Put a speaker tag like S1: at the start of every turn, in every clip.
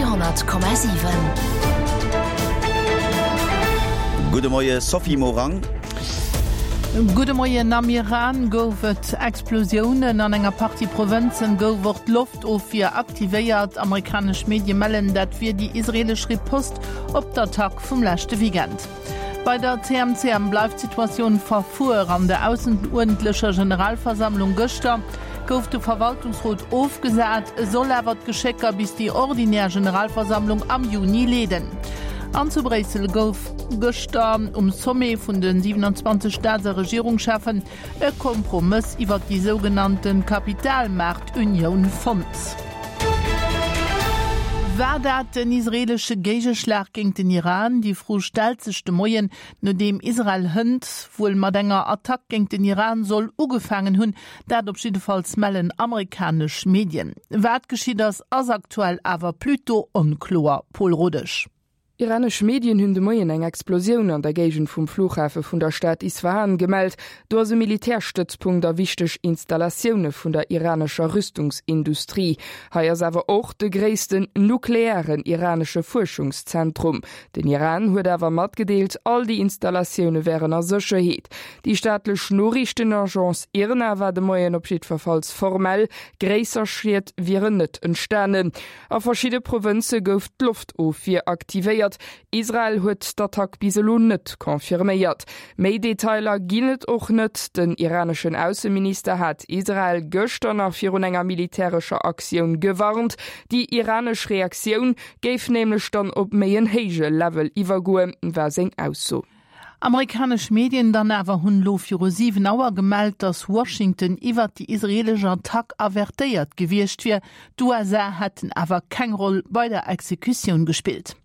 S1: Radio 10,7.
S2: Gudde Moie Sophie Morang.
S3: Gudde Moien, Am Iran gouf et Explosiounen. An enger Partie Provënzen gouf och d'Loftofwier aktivéiert. Amerikanesch Medie mellen, dat wier déi israeelesch Riposte op d'Attack vum leschte Weekend. Bei der CMCM bleift d'Situatioun verfuer. An der ausseruerdentlecher Generalversammlung gëschter gouf de Verwaltungsrot ofgesat. E soll awer d'Geschécker bis déi ordinär Generalversammlung am Juni leeden. An zu Bréissel gouf gëschter um Sommet vun de 27 Staats a Regierungscheffen E Kompromëss iwwert déi sougenannte Kapitalmaartunioun fonnt. War dat den israeelesche Géigeschlag géint den Iran? Déi Fro stellt sech de Moien, nodeem Israel hënt wuel mat enger Attack géint den Iran soll ugefaangen hunn. Dat op jiddefalls mellen amerikanesch Medien. Wat geschitt ass, ass aktuell awer plutôt onkloer. Pol Rodesch.
S4: Iranesch Medien hunn de Moien eng Explosioun an der Géigend vum Flughafe vun der Stad Isfahan gemellt. Do ass e Militärstëtzpunkt a wichteg Installatioune vun der iranescher Rüstungsindustrie. Hei ass awer och de gréissten nuklearen iranesche Fuerschungszentrum. Den Iran huet awer matgedeelt, all déi Installatioune wären a Sécherheet. Déi staatlech Noriichtenagence IRNA war de Moien op jiddwerfalls formell, gréisser Schied wieren net entstanen. A verschidde Provënze gouf d'Loftofwier aktivéiert. Israel huet d'Attack bis elo net confirméiert. Méi Detailer ginn et och net. Den iraneschen Ausseminister hat Israel gëschter nach virun enger militärescher Aktioun gewarnt. Déi iranesch Reaktioun géif nämlech dann op méi en héije Level iwwergoen, war seng Ausso.
S3: Amerikanesch Medien dann awer hunn elo viru 7 Auer gemellt, datt Washington iwwert déi israeelesch Attack avertéiert gewiescht wier. D'USA hätten awer keng Roll bei der Exekutioun gespillt.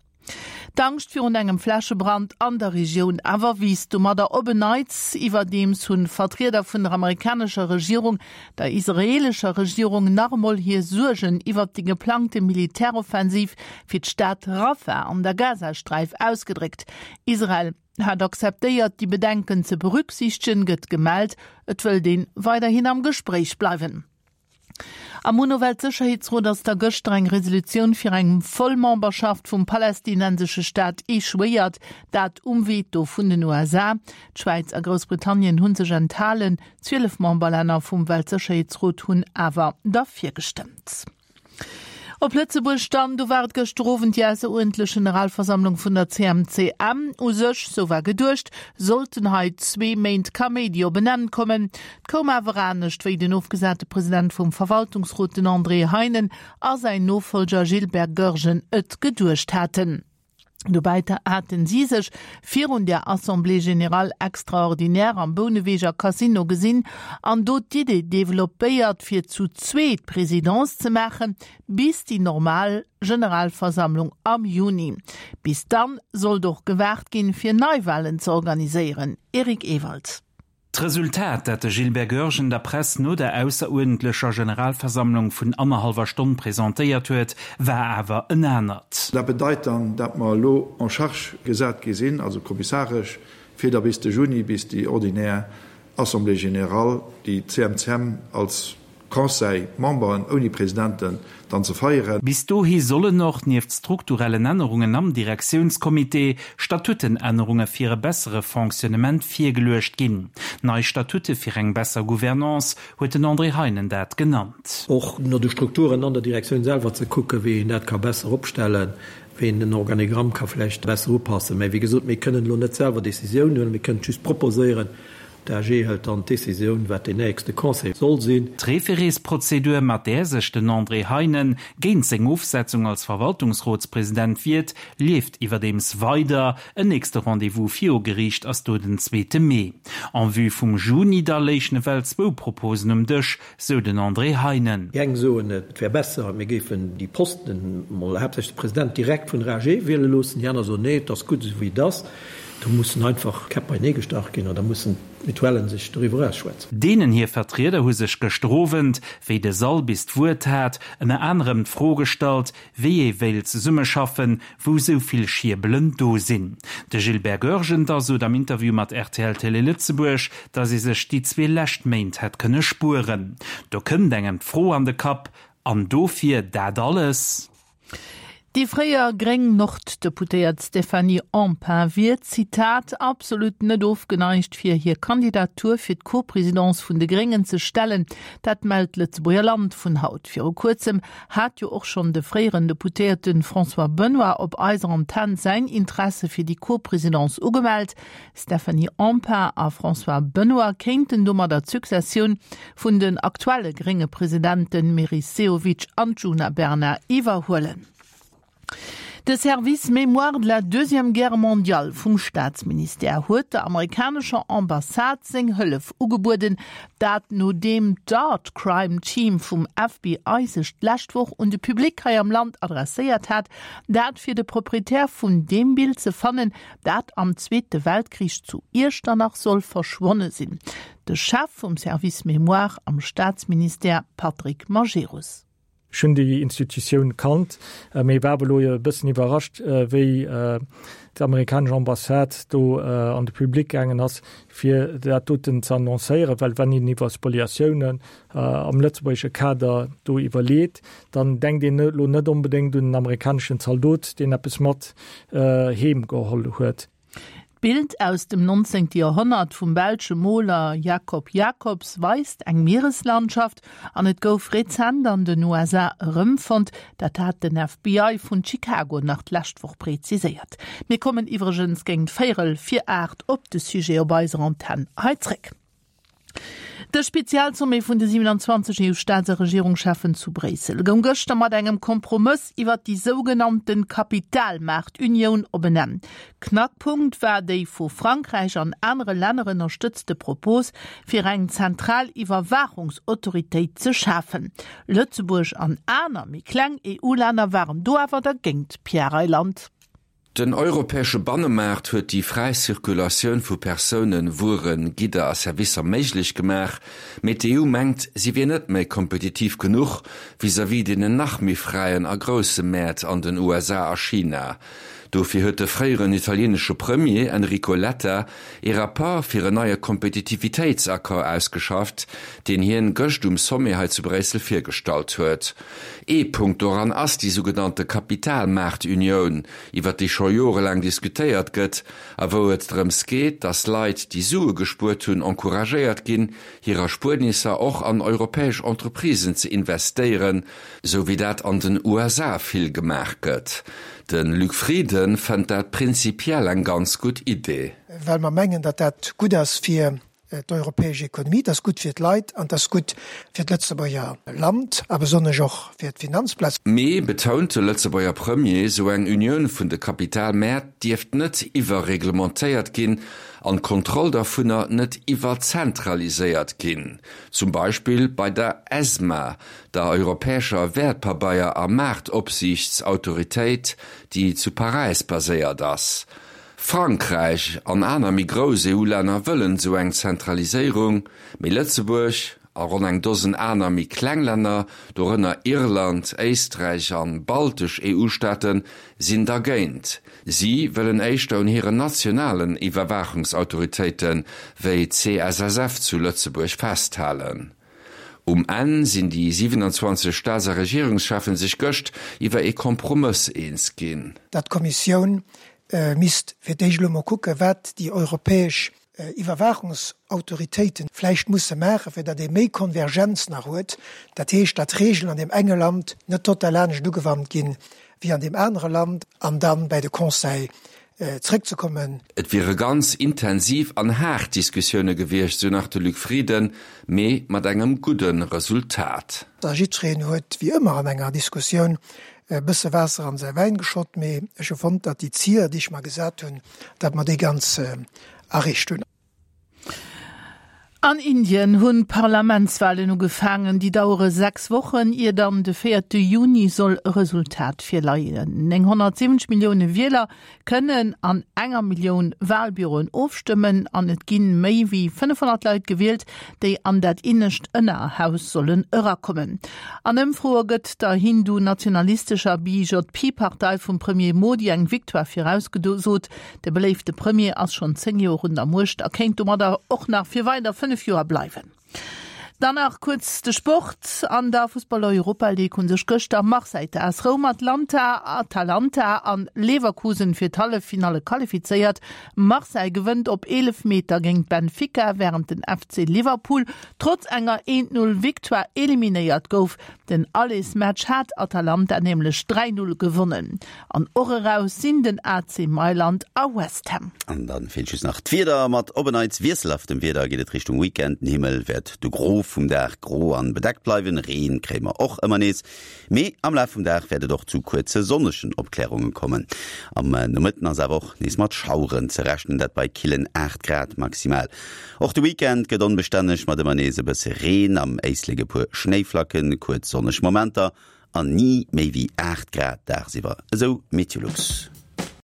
S3: D'Angscht virun engem Flächebrand an der Regioun awer wiisst domadder op en Neits. Iwwerdeems hunn Vertrieder vun der amerikanescher Regierung der israeelescher Regierung nach emol hir Suergen iwwert déi geplangte Militäroffensiv fir d'Stad Rafah an der Gazasträif ausgedréckt. Israel hat akzeptéiert, déi Bedenken ze berücksichtegen, gëtt gemellt. Et wëllt een weiderhin am Gespréich bleiwen. Am UNO-Weltsécherheetsrot ass da gëschter eng Resolutioun fir eng Vollmemberschaft vum palästinensesche Staat echouéiert, dat um Veto vun den USA. D'Schwäiz a Groussbritannien hu sech enthalen, 12 Memberlänner vum Weltsécherheetsrot hunn awer derfir gestëmmt. Op Lëtzebuerg dann, do war et gëschter Owend déi ausseruerdentlech Generalversammlung vun der CMCM. U sech, sou war geduecht, sollten hei zwee Méint Kaméidi op en Enn kommen. Et koum awer anescht, wéi den ofgesate President vum Verwaltungsrot, den André Heinen, a säin Nofollger Gilbert Goergen et geduecht haten. Dobäi haten si sech virun der Assemblée générale extraordinaire am Bouneweger Casino gesinn an do d'Idee developpéiert, fir zu zweet d'Presidence ze maachen, bis déi normal Generalversammlung am Juni. Bis dann sollt och gewaart ginn, fir Neiwahlen ze organiséieren. Eric Ewald.
S5: D'Resultat, dat de Gilbert Goergen der Press no der ausseruerdentlecher Generalversammlung vun annerhallwer Stonn presentéiert huet, war awer en anert.
S6: Dat bedeit dann, dat mer elo en charge gesat gi sinn, also kommissaresch, fir da bis de Juni, bis déi ordinär Assemblée générale, déi d'CMCM als Conseil, Memberen ouni Presidenten dann ze feieren.
S5: Bis dohi sollen och, nieft strukturellen Ännerungen am Direktiounscomité, Statutenännerunge fir e bessere Fonctionnement virgeluecht ginn. Nei Statute fir eng besser Gouvernance, huet den André Heinen dat genannt.
S7: Och no de Strukturen an der Direktioun selwer ze kucken, wéi een dat ka besser opstellen, wéi een den Organigramm ka vläicht besser upassen. Mä wéi gesot, mir kënnen elo net selwer Décisiounen huelen, mir kënnen et just proposéieren. D'AG hëlt dann d'Decisioun, wat deen nächste Conseil soll sinn.
S5: D'Référésprozedur, mat där sech den André Heinen géint seng Ofsetzung als Verwaltungsrotspresident wiert, leeft iwwerdeems weider. En nächste Rendez-vous viru Geriicht ass do den zweete Mee. En vue vum Juni da léichen ewell zwou Proposen um Dësch, sou den André Heinen.
S7: Déi eng soen, et wär besser, mir géifen déi Posten, mol haaptsächlech de President, direkt vun der AG wiele loossen. Déi aner soen, nee, et ass gutt esou wéi et ass. Do mussen einfach d'Käpp beienee gestach ginn an da mussen d'Mutuellen sech doriwwer ausschwätzen.
S5: Deenen hir Vertrieder hu sech gëschter Owend, wéi de Sall bis d'Wuert hat, ënner anerem d'Fro gestallt, wéi ee wéilt zesummeschaffen, wou sou vill Schierbelen do sinn. De Gilbert Goergen da sot am Interview mat rtl Télé Lëtzebuerg, datt ee sech déi zwee lescht Méint hätt kënne spueren. Do kënnt engem d'Fro an de Kapp, An dofir dat alles?
S3: Déi fréier gréng Nord-Deputéiert Stéphanie Empain wier, Zitat, absolut net ofgeneigt fir hir Kandidatur fir d'Co-Présidence vun de Gréngen ze stellen. Dat mellt d'Lëtzebuerger Land vun haut. Viru kuerzem hat jo och schonn de fréieren Deputéierte François Benoy op eiser Antenn säin Interesse fir déi Co-Présidence ugemellt. Stéphanie Empain a François Benoy kéinten domadder d'Successioun vun den aktuelle grénge Presidenten Meris Sehovic an Djuna Bernard iwwerhuelen. De Service Mémoire de la Deuxième Guerre mondiale vum Staatsministère huet der amerikanescher Ambassade seng Hëllef ugebueden, dat nodeem d'Art Crime Team vum FBI sech d'lescht Woch un de Public hei am Land adresséiert hat, dat fir de Proprietär vun deem Bild ze fannen, dat am Zweete Weltkrich zu Iechternach soll verschwonne sinn. De Chef vum Service Mémoire am Staatsministère Patrick Majerus.
S1: Ech hunn déi Institutioun kannt, mee war awer elo e bëssen iwwerrascht, wéi d'amerikanesch Ambassade do an de Public gaangen ass, fir dat doten ze annoncéieren. Well wann een iwwer Spoliatiounen am lëtzebuergesche Kader do iwwerleet, dann denkt een elo net onbedéngt un en amerikaneschen Zaldot, deen eppes mat heem geholl huet.
S3: D'Bild aus dem 19. Joerhonnert vum belsche Moler Jacob Jacobs weist eng Miereslandschaft an et gouf rezent an den USA erëmfonnt. Dat hat den FBI vun Chicago nach d'lescht Woch preziséiert. Mir kommen iwwregens géint véierel vir 8 op de Sujet op eiser Antenn hei zréck. De Spezialsommet vun de 27 EU-Staats a Regierungscheffen zu Bréissel goung gëschter mat engem Kompromëss iwwer déi sougenannte Kapitalmaartunioun op en Enn. Knackpunkt war déi vu Frankräich an anere Länner ënnerstëtzte Propos, fir eng zentral Iwwerwaachungsautoritéit ze schafen. Lëtzebuerg an aner méi kleng EU-Länner waren do awer dergéint. Pierre Reyland.
S8: Den europäesche Bannemaart huet déi fräi Circulatioun vu Persounen, Wueren, Gidder a Servicer méiglech gemaach, mee d'EU mengt, si wier net méi kompetitiv genuch vis-à-vis deenen nach méi fräien a grousse Mäert an den USA a China. Dofir huet de fréieren italieenesche Premier Enrico Letta ee Rapport fir en neie Kompetitivitéitsaccord ausgeschafft, deen hien gëscht um Sommet hei zu Bréissel virgestallt huet. Ee Punkt doran ass déi sougenannte Kapitalmaartunioun, iwwer déi scho jorelaang diskutéiert gëtt a wou et drëms geet, datt Leit, déi Sue gespuert hunn, encouragéiert ginn, hir Erspuernisser och an europäesch Entreprisen ze investéieren, sou wéi dat an den USA vill gemaach gëtt. De Luc Frieden fënnt dat prinzipiell eng ganz gutt Idee.
S9: Well mer mengen, datt dat gutt ass fir D'europäesch Ekonomie, dat ass gutt fir d'Leit an dat ass gutt fir d'Lëtzebuerger Land a besonnesch och fir d'Finanzplaz.
S8: Mee, betount de Lëtzebuerger Premier, esou eng Unioun vun de Kapitalmäert dierft net iwwerreglementéiert ginn an d'Kontroll dervunner net iwwerzentraliséiert ginn, zum Beispill bei der ESMA, der europäescher Wäertpabeier a Maartopsiichtsautoritéit, déi zu Paräis baséiert ass. Frankräich an aner méi grouss EU-Länner wëllen esou eng Zentraliséierung, mee Lëtzebuerg a ronn eng Dosen aner méi kleng Länner, dorënner Irland, Éisträich an baltesch EU-Staaten, sinn dergéint. Si wëllen éischter un hiren nationalen Iwwerwaachungsautoritéite wéi d'CSSF zu Lëtzebuerg festhalen. Um Enn sinn déi 27 Staats a Regierungscheffen sech gëscht iwwer ee Kompromëss eens ginn.
S9: Datt d'Kommissioun misst fir d'éischt elo mol kucken, wat déi europäesch Iwwerwaachungsautoritéite vläicht musse maachen, fir datt ee méi Konvergenz nach huet, dat heescht, datt Regeln an deem enge Land net total anescht ugewannt ginn wéi an deem anere Land, an da bäi de Conseil zréckzekommen.
S8: Et wiere ganz intensiv an haart Diskussioune gewiescht, sou nach de Luc Frieden, mee mat engem gudde Resultat.
S9: A jiddwereen huet, wéi ëmmer an enger Diskussioun, e bësse Waasser an säi Wäin geschott, mee ech hu fonnt, datt déi Zier, déi ech mer gesat hunn, datt mer déi ganz erreecht hunn.
S3: An Indien hunn d'Parlamentswalen ugefaangen. Déi dauere 6 Wochen, ier dann de véierte Juni soll e Resultat virleien. 970 Millioune Wieler kënnen an enger Millioun Walbüroen ofstëmmen an et ginn méi wéi 500 Leit gewielt, déi an dat innescht Ënnerhaus sollen erakommen. An Ëmfroe gëtt der hindu-nationalistescher BJP-Partei vum Premier Modi eng Victoire virausgesot. De beléifte Premier ass schonn 10 Joer un der Muecht a kéint domadder och nach fir weider 5 Joer bleiwen. Dann nach kuerz de Sport. An der Fussball-Europa-League hu sech gëschter Marseille, d'AS Roum, Atlanta, Atalanta an Leverkusen fir d'Halleffinalle qualifizéiert. Marseille gewënnt op Eelefmeter géint Benfica, wärend den FC Liverpool trotz enger 1-0 Victoire eliminéiert gouf. Den Allersmatch hat Atalanta nämlech 3, 0 gewonnen. An och eraus sinn den AC Mailand a West Ham.
S2: An dann feelt just nach d'Wieder. Mat op en Neits wiesselhaftem Wieder geet et Richtung Weekend. Den Himmel wäert de Gros vum Dag gro an bedeckt bleiwen, Reen kréie mer och ëmmer nees, mee am Laf vum Dag wäert et och zu kuerze sonnegen Opklärunge kommen. Am Nomëtten ass awer och nees mat Schaueren ze rechnen, dat bei killen 8 Grad maximal. Och de Weekend gëtt onbestänneg mat ëmmer nees e bësse Reen, am Éislek e puer Schnéiflacken, kuerz sonneg Momenter an ni méi wéi 8 Grad dagsiwwer, esou Meteolux.